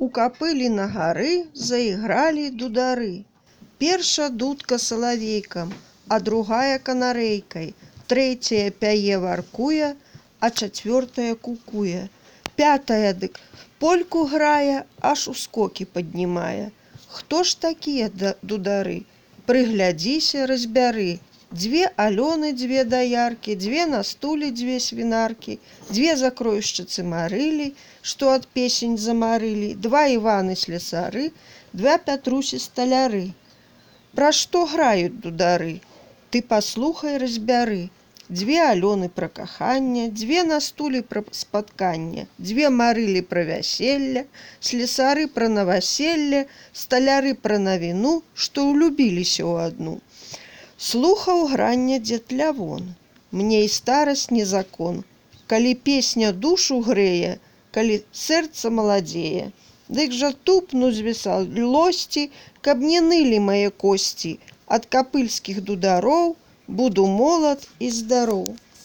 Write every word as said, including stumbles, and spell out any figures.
У капылі на гары заігралі дудары. Перша дудка салавейкам, а другая канарэйкай, трэцяя пяе варкуе, а чацвёртая кукуе. Пятая дык польку грае, аж ускокі паднімае. Хто ж такія дудары? Прыглядзіся, разбяры. Дзве Алёны, дзве даяркі, дзве на стуле, дзве свінаркі, дзве закройшчыцы марылі, што ад песень замарылі, два Іваны слесары, два Пятрусі сталяры. Пра што граюць дудары? Ты паслухай, разбяры. Дзве Алёны пра каханне, дзве на стуле пра спатканне, дзве марылі пра вяселле, слесары пра наваселле, сталяры пра навіну, што ўлюбіліся ў адну. Слухаў грання дзед Лявон. Мне і старасць не закон. Калі песня душу грэе, калі сэрца маладзее, дык жа тупну з весялосці, каб не нылі мае косці. Ад капыльскіх дудароў буду молад і здароў.